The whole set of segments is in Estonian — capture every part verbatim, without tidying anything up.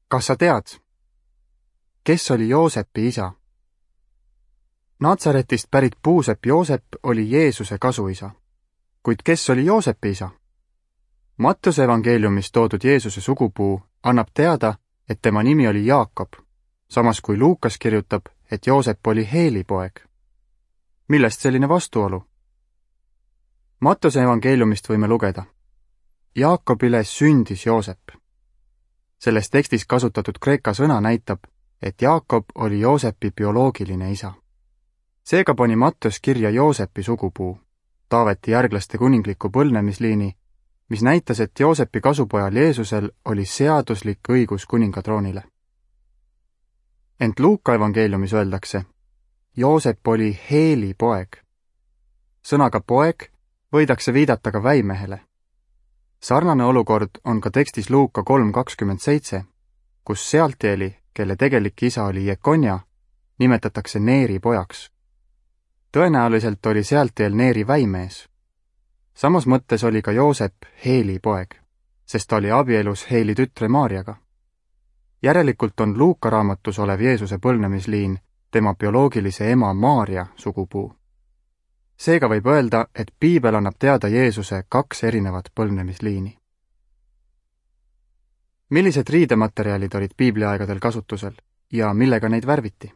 Kas sa tead, kes oli Joosepi isa? Natsaretist pärit puusepp Joosep oli Jeesuse kasuisa. Kuid kes oli Joosepi isa? Mattuse evangeeliumis toodud Jeesuse sugupuu annab teada, et tema nimi oli Jaakob, samas kui Luukas kirjutab, et Joosep oli Heeli poeg. Millest selline vastuolu? Mattuse evangeeliumist võime lugeda. Jaakobile sündis Joosep. Selles tekstis kasutatud kreeka sõna näitab, et Jaakob oli Joosepi bioloogiline isa. Seega pani Mattus kirja Joosepi sugupuu, Taaveti järglaste kuningliku põlvnemisliini, mis näitas, et Joosepi kasupojal Jeesusel oli seaduslik õigus kuningatroonile. Ent Luuka evangeeliumis öeldakse, Joosep oli Heeli poeg. Sõnaga poeg võidakse viidata ka väimehele. Sarnane olukord on ka tekstis Luuka kolm kakskümmend seitse, kus Sealtieli, kelle tegelik isa oli Jekonja, nimetatakse Neeri pojaks. Tõenäoliselt oli Sealtiel Neeri väimees. Samas mõttes oli ka Joosep Heeli poeg, sest ta oli abielus Heeli tütre Maarjaga. Järelikult on Luuka raamatus olev Jeesuse põlvnemisliin tema bioloogilise ema Maarja sugupuu. Seega võib öelda, et piibel annab teada Jeesuse kaks erinevat põlvnemisliini. Millised riidematerjalid olid piibliaegadel kasutusel ja millega neid värviti?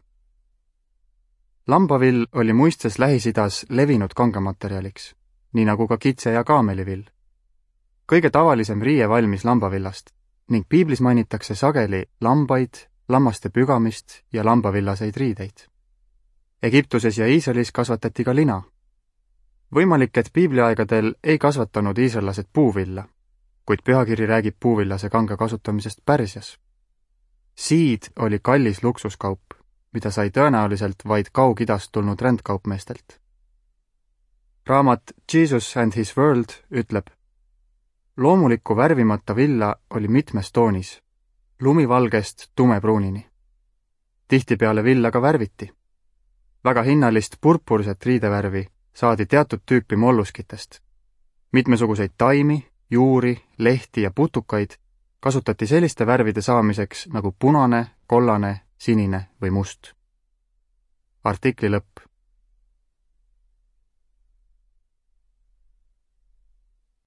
Lambavill oli muistes Lähis-Idas levinud kangematerjaliks, nii nagu ka kitse- ja kaamelivill. Kõige tavalisem riie valmis lambavillast ning piiblis mainitakse sageli lambaid, lammaste pügamist ja lambavillaseid riideid. Egiptuses ja Iisraelis kasvatati ka lina. Võimalik, et piibliaegadel ei kasvatanud iisraellased puuvilla, kuid pühakiri räägib puuvillase kanga kasutamisest Pärsias. Siid oli kallis luksuskaup, mida sai tõenäoliselt vaid Kaug-Idast tulnud rändkaupmeestelt. Raamat Jesus and His World ütleb, loomulikku värvimata villa oli mitmes toonis, lumivalgest tumepruunini. Tihtipeale villa ka värviti. Väga hinnalist purpurset riidevärvi saadi teatud tüüpi molluskitest. Mitmesuguseid taimi, juuri, lehti ja putukaid kasutati selliste värvide saamiseks nagu punane, kollane, sinine või must. Artikli lõpp.